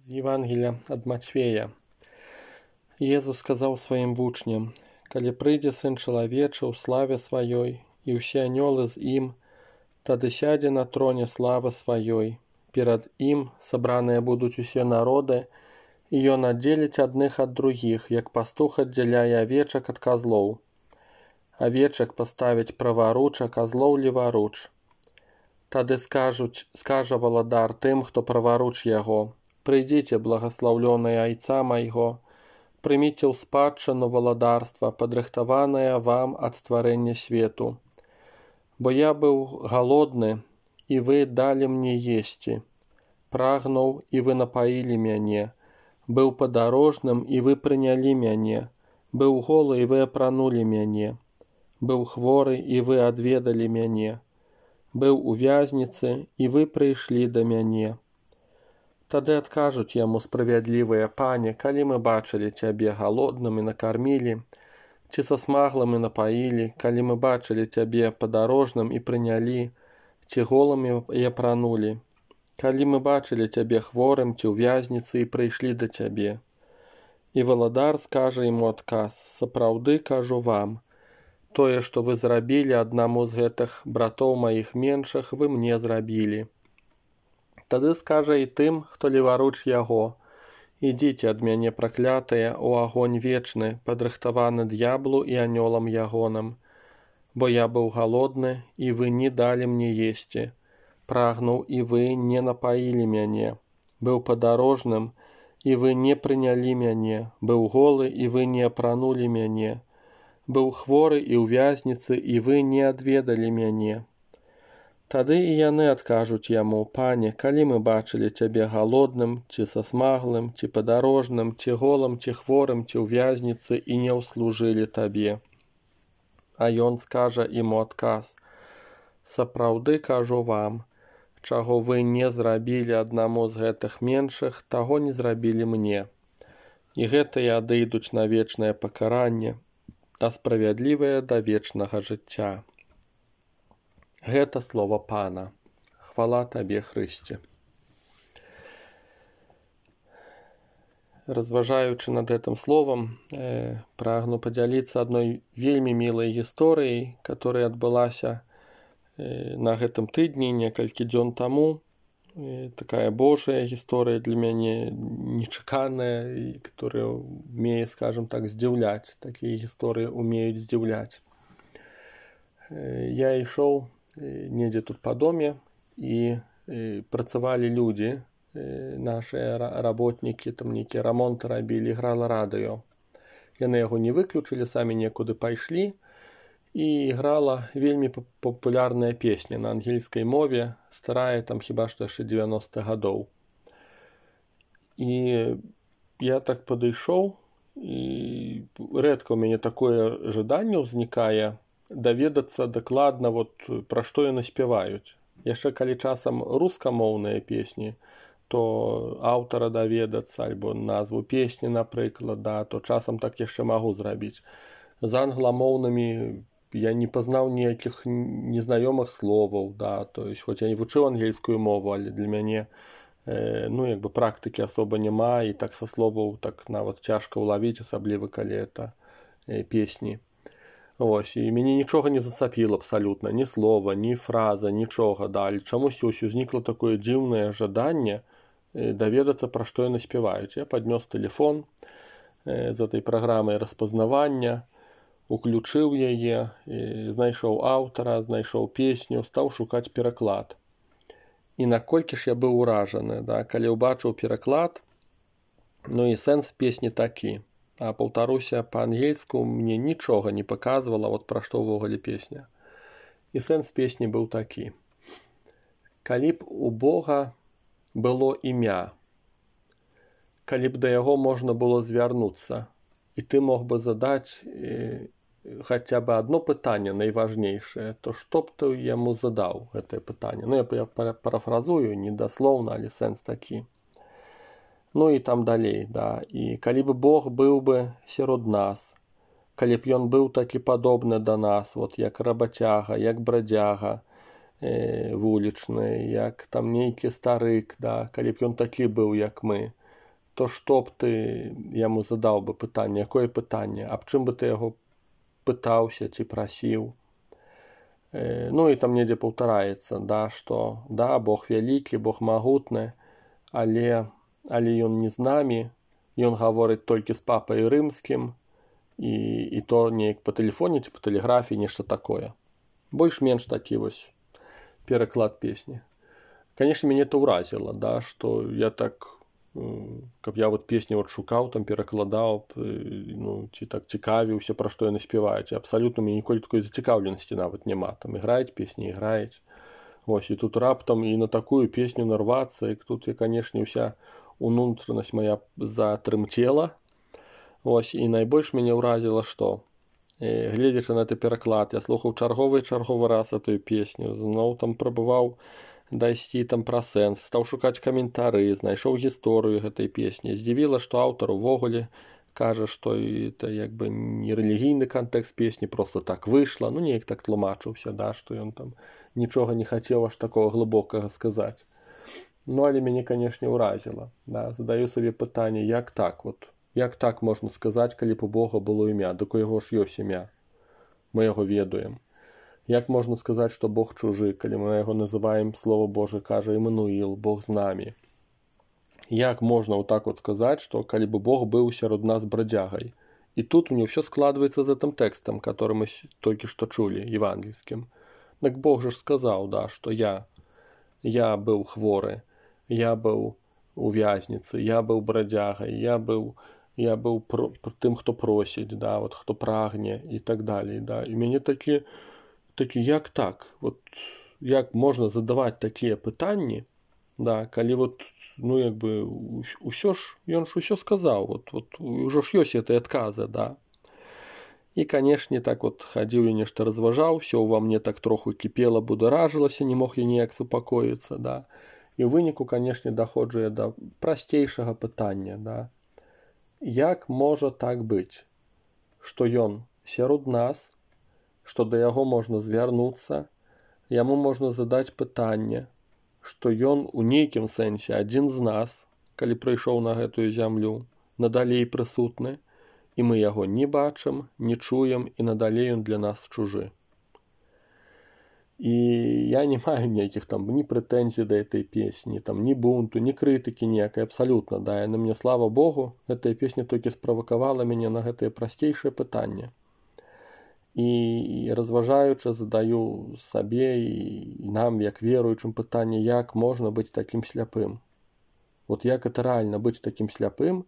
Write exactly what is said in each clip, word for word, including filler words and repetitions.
З Євангелія ад Матфея. Езус сказаў сваім вучням: «Калі прыйдзе Сын чалавечы ў славе сваёй, і ўсе анёлы з ім, тады сядзе на троне славы сваёй. Перад ім сабраныя будуць усе народы, і ён аддзеліць адных ад другіх, як пастух аддзяляе авечак ад казлоў. Авечак паставіць праваруч, а казлоў леваруч. Тады скажуць, скажа валадар тым, хто праваруч яго: «Прыйдзіце, благаслаўлёныя айца майго, прыміце ў спадчыну валадарства, падрыхтаванае вам ад стварэння свету. Бо я быў галодны, і вы далі мне есці, прагнуў, і вы напаілі мяне, быў падарожным, і вы прынялі мяне, быў голы, і вы апранулі мяне, быў хворы, і вы адведалі мяне, быў у вязніцы, і вы прыйшлі да мяне». Тады адкажуць яму справядлівыя: «Пане, калі мы бачылі цябе галодным і накармілі, ці сасмаглым і напаілі, калі мы бачылі цябе падарожным і прынялі, ці голым і апранулі, калі мы бачылі цябе хворым ці ў вязніцы і прыйшлі да цябе». І валадар скажа яму адказ: «Сапраўды кажу вам, тое, што вы зрабілі аднаму з гэтых братоў маіх меншых, вы мне зрабілі». Тады скажа і тым, хто леваруч яго: «Ідзіце ад мяне, праклятыя, у агонь вечны, падрыхтаваны д'яблу і анёлам ягоным. Бо я быў галодны, і вы не далі мне есці, прагнуў, і вы не напаілі мяне, быў падарожным, і вы не прынялі мяне, быў голы, і вы не апранулі мяне, быў хворы і ў вязніцы, і вы не адведалі мяне». Тады і яны адкажуць яму: «Пане, калі мы бачылі цябе галодным, ці сасмаглым, ці падарожным, ці голым, ці хворым, ці ў вязніцы, і не ўслужылі табе». А ён скажа ім у адказ: «Сапраўды кажу вам, чаго вы не зрабілі аднаму з гэтых меншых, таго не зрабілі мне». І гэтыя адыдуць на вечнае пакаранне, а справядлівыя да вечнага жыцця. Гэта слова Пана. Хвала табе, Хрысце. Разважаючы над гэтым словам, э, прагну падзяліцца адной вельмі мілай гісторыяй, которая адбылася э, на гэтым тыдні некалькі дзён таму. Э, такая Божая гісторыя для мяне нечаканая, і которая умее, скажем так, здзіўляць. Такія гісторыі умеюць здзіўляць. Э, я ішоў недзе тут па доме, і э, працавалі людзі, э, нашыя работнікі, там нейкія рамонты рабілі, грала радыё. Яны яго не выключылі, самі некуды пайшлі, і грала вельмі папулярная песня на ангельскай мове, старая, там хіба што яшчэ дзевяностых гадоў. І я так падышоў, і рэдка ў мяне такое жаданне ўзнікае даведацца дакладна, вот, пра што яны спяваюць. Яшчэ калі часам рускамоўныя песні, то аўтара даведацца, альбо назву песні, напрыклад, да, то часам так яшчэ магу зрабіць. З англамоўнымі я не пазнаў ніякіх незнаёмых словаў, да, то есть, хоць я не вучыў ангельскую мову, але для мяне э, ну, як бы практыкі асоба няма, і так са словаў так нават цяжка ўлавіць, асабліва калі это э, песні. Ось, і мяне нічога не зацапіла абсалютна, ні слова, ні фраза, нічога, да, але чамусь ось узнікла такое дзіўнае жаданне э, даведацца, пра што яны спяваюць. Я паднёс тэлефон э, з этой праграмай распазнавання, уключыў яе, э, знайшоў аўтара, знайшоў песню, стаў шукаць пераклад. І наколькі ж я быў уражаны, да, калі ўбачыў пераклад, ну і сэнс песні такі. А паўтаруся, па-ангельску мне нічога не паказвала, вот пра што ўвогуле песня. І сэнс песні быў такі: «Калі б у Бога было імя, калі б да яго можна было звярнуцца, і ты мог бы задаць э, хаця бы адно пытанне найважнейшае, то што б ты яму задаў гэтае пытанне?» Ну, я парафразую, недаслоўна, але сэнс такі. Ну і там далей, да. І калі б Бог быў бы сярод нас, калі б ён быў такі падобны да нас, вот як рабацяга, як брадзяга э, вулічны, як там нейкі старык, да, калі б ён такі быў, як мы, то што б ты яму задаў бы пытанне, якое пытанне, аб чым бы ты яго пытаўся ці прасіў. Ну і там недзе паўтараецца, да, што да, Бог вялікі, Бог магутны, але, але ён не з намі, ён гаворыць толькі з папай рымскім, і, і то неяк па тэлефоне ці па тэлеграфіі, нешта такое. Больш-менш такі вось пераклад песні. Канешне, мяне это ўразіла, да, што я так, каб я вот песні вот шукаў, там перакладаў, ну, ці так цікавіўся, пра што яны спяваюць. Абсалютна мне ніколі такой зацікаўленасці нават няма. Там іграюць песні, іграюць. Вось, і тут раптам і на такую песню нарвацца, і тут, і, канешне, ўся унутранасць моя затрымцела. Вось, і найбольш мяне ўразіла, што, гледзячы на гэты пераклад, я слухаў чарговы і чарговы раз эту песню, зноў там прабываў дайсці там пра сэнс, стаў шукаць каментары, знайшоў гісторыю гэтай песні. Здзівіла, што аўтар увогуле кажа, што это як бы не рэлігійны кантэкст песні, проста так выйшла, ну неяк так тлумачыўся, да, што ён там нічога не хацеў аж такога глыбокага сказаць. Ну, але мяне, канешне, ўразіла. Да, задаю сабе пытанне, як так, вот, як так можна сказаць, калі б у Бога было імя, дык у яго ж ёсць імя, мы яго ведаем. Як можна сказаць, што Бог чужы, калі мы яго называем, Слово Божие кажа, Імануіл, Бог з намі? Як можна вот так вот сказаць, што калі бы Бог быў сярод нас бродягай? І тут мне ўсё складваецца з гэтым тэкстам, который мы толькі што чулі, евангельскім. Так Бог же ж сказаў, да, што я, я быў хворы, я быў у вязніцы, я быў бродягай, я быў, я быў про, тым, хто просіць, да, вот, хто прагне і так далей. Да. І мяне такі, такі, як так? Вот, як можна задаваць такія пытанні, да, калі вот, ну, як бы, усё ж, ён ж усё сказаў, вот, вот, ужо ж ёсць гэтыя адказы, да. І, канешне, так вот хадзіў і нешта разважаў, усё ўва мне так троху кіпела, бударажылася, не мог я ніяк супакоіцца, да. І ў выніку, канешне, даходжу я да прасцейшага пытання, да. Як можа так быць, што ён сярод нас, што да яго можна звярнуцца, яму можна задаць пытанне, што ён у нейкім сэнсе адзін з нас, калі прыйшоў на гэтую зямлю, надалей прысутны, і мы яго не бачым, не чуем, і надалей ён для нас чужы. І я не маю ніякіх там ні прэтэнзій да этой песні, там ні бунту, ні крытыкі ніякай, абсалютна, да, яны мне, слава Богу, гэтая песня толькі справакавала мяне на гэтае прасцейшае пытанне. І разважаючы, задаю сабе і нам, як веруючым, пытанне, як можна быць такім сляпым. Вот як это рэальна быць такім сляпым,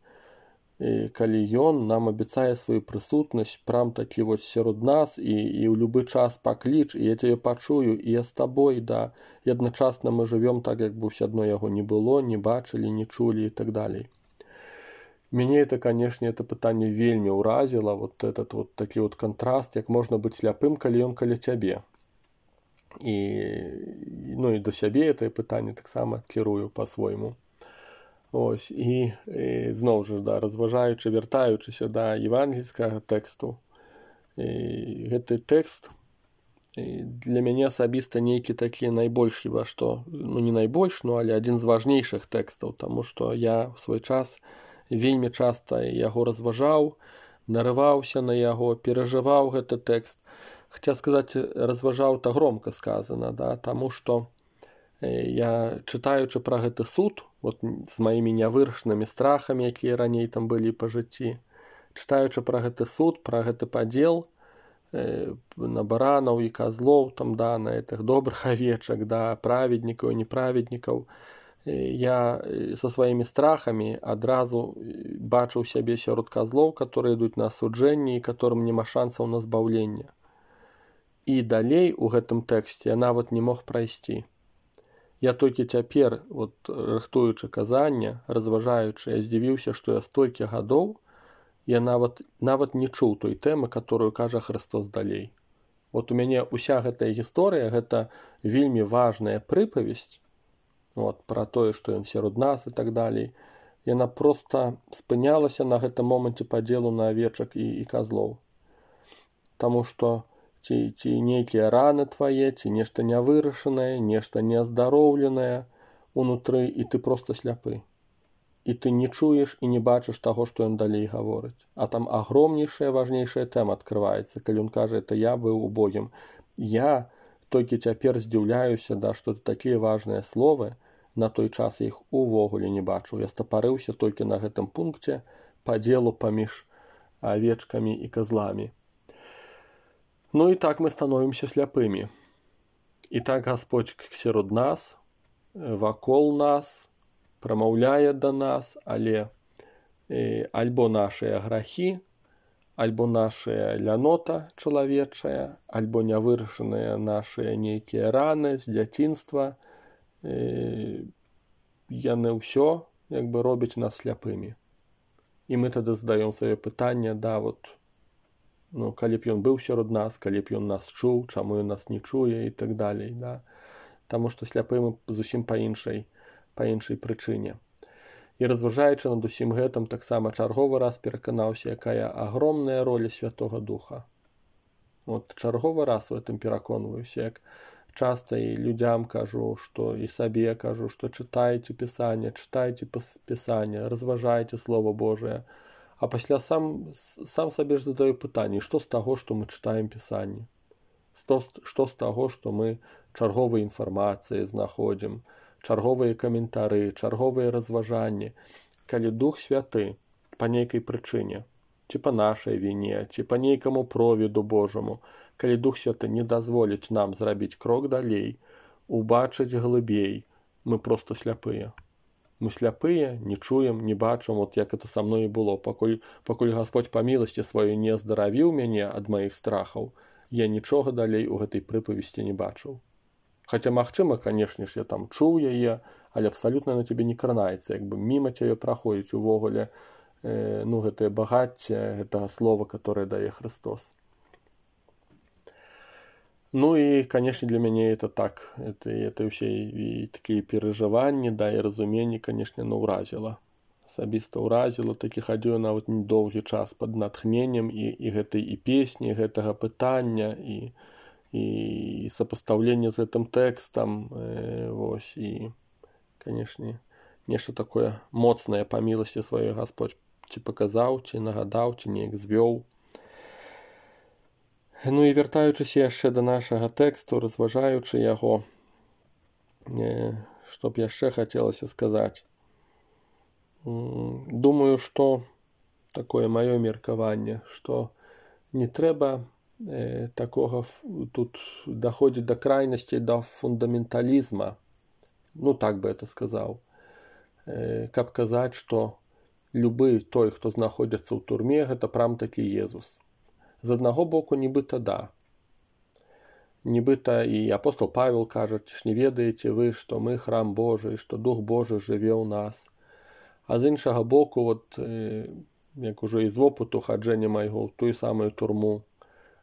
калі ён нам абяцае сваю прысутнасць прям такі вот сярод нас і, і ў любы час пакліч, і я цябе пачую, і я з табой, да, і адначасна мы жывём так, як бы ўсё адно яго не было, не бачылі, не чулі і так далей. Мяне это, канешне, это пытанне вельмі ўразіла, вот этот вот такі вот кантраст, як можна быць сляпым, калі ён каля цябе. І, ну і да сябе это пытанне таксама кірую па-свойму. Ось, і, і зноў жа, да, разважаючы, вяртаючыся да евангельскага тэксту. І гэты тэкст і для мяне асабіста нейкі такі найбольш, хіба што, ну не найбольш, ну але адзін з важнейшых тэкстаў, таму што я ў свой час вельмі часта яго разважаў, нарываўся на яго, перажываў гэты тэкст. Хаця сказаць, разважаў, то громка сказана, да, таму што я, чытаючы пра гэты суд, вот з маімі нявырашанымі страхамі, якія раней там былі па жыцці, чытаючы пра гэты суд, пра гэты падзел э, на баранаў і казлоў, там, да, на гэтых добрых авечак, да, праведнікаў і неправеднікаў, я са сваімі страхамі адразу бачыў сябе сярод казлоў, которые ідуць на асуджэнне і которым няма шансаў на збаўленне. І далей у гэтым тэксце я нават не мог прайсці. Я толькі цяпер, вот, рыхтуючы казанне, разважаючы, я здзівіўся, што я столькі гадоў, я нават, нават не чуў той тэмы, которую кажа Христос далей. Вот у мяне ўся гэтая гісторыя, гэта вельмі важная прыпавесць, вот, пра тое, што ён сярод нас і так далей, яна проста спынялася на гэтым моманце падзелу на авечак і, і казлоў. Таму што ці, ці нейкія раны твае, ці нешта нявырашанае, нешта неаздароўленае унутры, і ты проста сляпы. і ты не чуеш і не бачыш таго, што ён далей гаворыць. А там агромнейшая, важнейшая тэма адкрываецца, калі ён кажа, это я быў убогім. Я толькі цяпер здзіўляюся, да, што такія важныя словы, на той час іх увогуле не бачыў. Я стапарыўся толькі на гэтым пункце падзелу паміж авечкамі і козламі. Ну і так мы становімся сляпымі. І так Гасподзь сярод нас, вакол нас, прамаўляе да нас, але э, альбо нашыя грахі, альбо нашая лянота чалавечая, альбо нявырашаныя нашыя нейкія раны з дзяцінства, э, яны ўсё як бы робяць нас сляпымі. І мы тады задаём сабе пытанне, да, вот, ну, калі б ён быў сярод нас, калі б ён нас чуў, чаму ён нас не чуе і так далей, да. Таму што сляпымы зусім па іншай, па іншай прычыне. І разважаючы над усім гэтым, таксама чарговы раз пераканаўся, якая агромная роля Святога Духа. От чарговы раз у гэтым пераконваюся, як часта і людзям кажу, што і сабе кажу, што чытайце Пісанне, чытайце Пісанне, разважайце Слово Божие. А пасля сам, сам сабе ж задаю пытанне, што з таго, што мы чытаем Пісанне? Што з таго, што мы чарговыя інфармацыі знаходзім, чарговыя каментары, чарговыя разважанні, калі Дух Святы па нейкай прычыне, ці па нашай віне, ці па нейкаму провіду Божаму, калі Дух Святы не дазволіць нам зрабіць крок далей, убачыць глыбей, мы проста сляпыя. Мы сляпыя, не чуем, не бачым, от як это са мной і было. Пакуль, пакуль Гасподь па міласці сваёй не аздаравіў мяне ад маіх страхаў, я нічога далей у гэтай прыпавесці не бачыў. Хаця, магчыма, канешне ж, я там чуў яе, але абсалютна на цябе не кранаецца, як бы міма цябе праходзіць увогуле, э, ну, гэтае багацце, гэтага слова, которое дае Христос. Ну і, канешне, для мяне это так, это, это ўсе і такія перажыванні, да, і разуменні, канешне, ну, ўразіла. Асабіста ўразіла, такі хадзіў нават недоўгі час пад натхненнем і, і гэтай і песні, гэтага пытання, і, і сапастаўленне з гэтым тэкстам, э, вось, і, канешне, нешта такое моцнае па міласці сваёй Гасподь ці паказаў, ці нагадаў, ці неяк звёў. Ну і вяртаючыся яшчэ да нашага тэксту, разважаючы яго, э, што б яшчэ хацелася сказаць. Думаю, што такое маё меркаванне, што не трэба э, такога тут даходзіць да крайнасці, да фундаменталізма, ну так бы это сказаў, э, каб казаць, што любы той, хто знаходзіцца ў турме, гэта прям такі Езус. З аднаго боку, нібыта да. Нібыта і апостол Павел кажа, ж не ведаеце вы, што мы храм Божий, што Дух Божий жыве ў нас. А з іншага боку, от, э, як уже з вопыту хаджэння майго ў тую самую турму,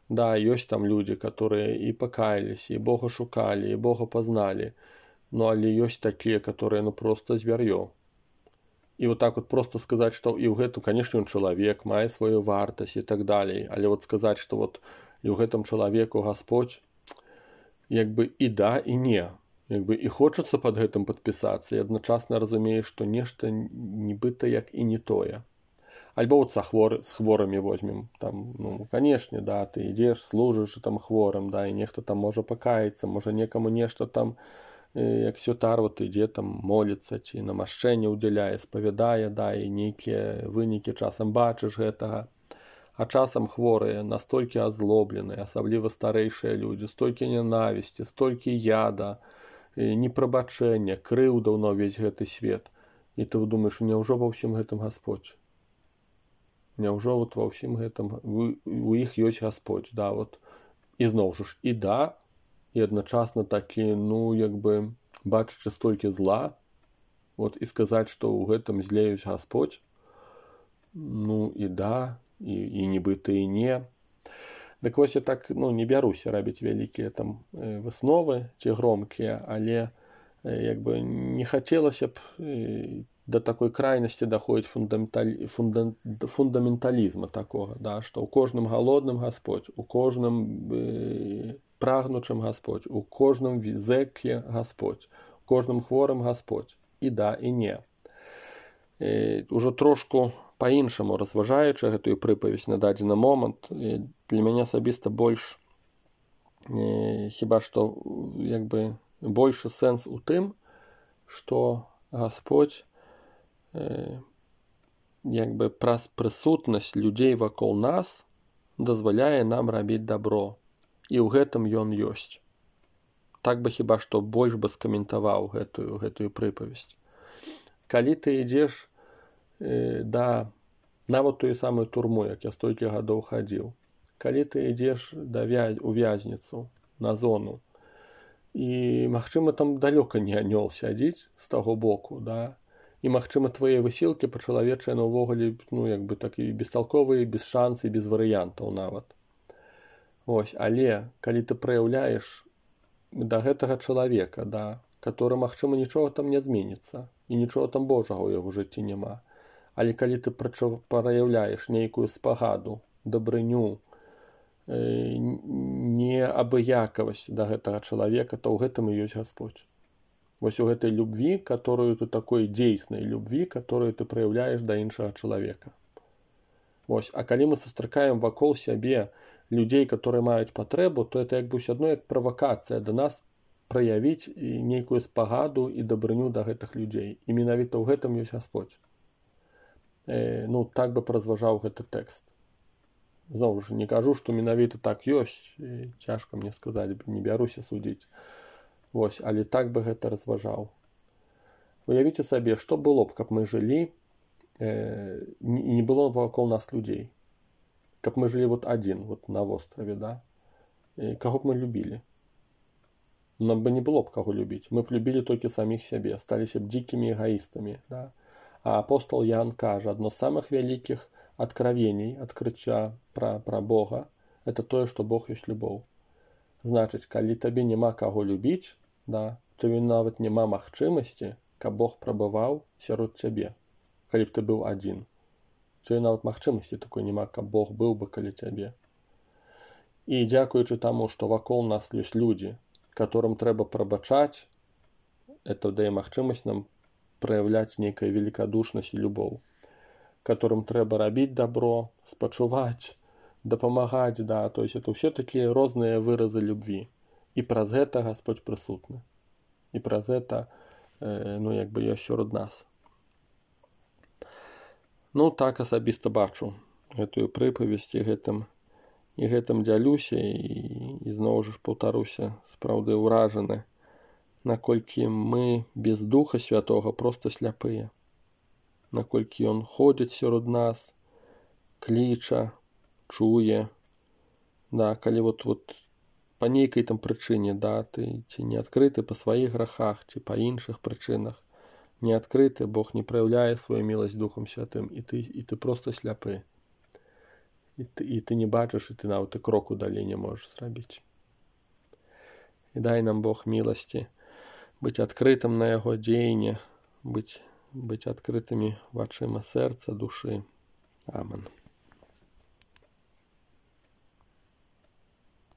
да, ёсць там людзі, которые і пакаяліся, і Бога шукалі, і Бога пазналі, ну, але ёсць такія, которые, ну, просто звяр'ё. І вот так вот просто сказаць, што і ў гэтым, канешне, ён чалавек, мае сваю вартасць і так далей, але вот сказаць, што вот і ў гэтым чалавеку Гасподь, як бы і да, і не. Як бы і хочацца пад гэтым падпісацца, і адначасна разумееш, што нешта нібыта як і не тое. Альбо вот са хвор, з хворымі возьмем, там, ну, канешне, да, ты ідзеш, служыш там хворым, да, і нехта там можа пакаіцца, можа некаму нешта там, як святар вот ідзе там моліцца, ці намашчэнне ўдзяляе, спавядае, да, і нейкія вынікі часам бачыш гэтага. А часам хворыя, настолькі азлобленыя, асабліва старэйшыя людзі, столькі ненавісці, столькі яда, непрабачэння, крыўдаў на ўвесь гэты свет. І ты думаеш, няўжо ва ўсім гэтым Гасподь? Няўжо вот ва ўсім гэтым у іх ёсць Гасподь, да, вот. І зноў жа ж, і да, і адначасна такі, ну, як бы, бачачы столькі зла, вот, і сказаць, што ў гэтым зле ёсць Гасподь, ну, і да, і, і нібыта і не. Дык вось я так, ну, не бяруся рабіць вялікія там высновы ці громкія, але, як бы, не хацелася б да такой крайнасці даходзіць фундаменталі... фунда... фундаменталізма такога, да, што ў кожным галодным Гасподь, у кожным э, прагнучым Гасподь, у кожным зэкле Гасподь, у кожным хворым Гасподь, і да, і не. э, ужо трошку па-іншаму разважаючы гэтую прыпавесць на дадзены момант, э, для мяне асабіста больш э, хіба што як бы большы сэнс у тым, што Гасподзь э, як бы праз прысутнасць людзей вакол нас дазваляе нам рабіць дабро. І ў гэтым ён ёсць. Так бы хіба што больш бы скаментаваў гэтую, гэтую прыпавесць. Калі ты ідзеш э, да нават тую самую турму, як я столькі гадоў хадзіў, калі ты ідзеш да вя... у вязніцу, на зону, і, магчыма, там далёка не анёл сядзіць з таго боку, да? І, магчыма, твае высілкі па-чалавечыя на ўвогуле, ну, як бы так і бесталковыя, без шансы, без варыянтаў нават. Ось, але, калі ты праяўляеш да гэтага чалавека, да, который, магчыма, нічога там не зменіцца, і нічога там Божага ў яго жыцці няма. Але калі ты праяўляеш нейкую спагаду, дабрыню, э, неабыякавасць да гэтага чалавека, то ў гэтым і ёсць Гасподзь. Вось у гэтай любві, которую ты такой дзейснай любві, которую ты праяўляеш да іншага чалавека. Вось, а калі мы сустракаем вакол сябе людзей, которые маюць патрэбу, то это як бы ўсё адно як правакацыя да нас праявіць нейкую спагаду і дабрыню да гэтых людзей. І менавіта ў гэтым ёсць Гасподзь. Э, ну, так бы паразважаў гэты тэкст. Зноў ж, не кажу, што менавіта так ёсць, і цяжка мне сказаць, не бяруся судзіць. Вось, але так бы гэта разважаў. Уявіце сабе, што было б, каб мы жылі, э, не было вакол нас людзей. Каб мы жылі вот адзін, вот на востраве, да? І каго б мы любілі? Нам бы не было б каго любіць. Мы б любілі толькі саміх сябе, сталіся б дзікімі эгаістамі, да? А апостол Ян кажа, адно з самых вялікіх адкравеній, адкрыцця пра, пра Бога, это тое, што Бог ёсць любоў. Значыць, калі табе няма каго любіць, да, табе нават няма магчымасці, каб Бог прабываў сярод цябе, калі б ты быў адзін. Цябе нават магчымасці такой няма, каб Бог быў бы каля цябе. І дзякуючы таму, што вакол нас ёсць людзі, которым трэба прабачаць, это дае магчымасць нам праяўляць нейкая великадушнасць і любоў, которым трэба рабіць дабро, спачуваць, дапамагаць, да, то есть это ўсе такія розныя выразы любві. І праз гэта Гасподзь прысутны. І праз гэта, э, ну, як бы ёсць сярод нас. Ну, так асабіста бачу гэтую прыпавесць і гэтым, і гэтым дзялюся, і, і зноў жа паўтаруся, спраўды ўражаны, наколькі мы без Духа Святога проста сляпыя. Наколькі ён ходзіць сярод нас, кліча, чуе, да, калі вот, вот па нейкай там прычыне, да, ты ці не адкрыты па сваіх грахах, ці па іншых прычынах, не адкрыты, Бог не праяўляе сваю міласць Духам Святым, і ты, і ты проста сляпы. І ты, і ты не бачыш, і ты нават і кроку далей не можаш зрабіць. І дай нам Бог міласці быць адкрытым на яго дзеянне, быць, быць адкрытымі вачыма сэрца, душы. Амен.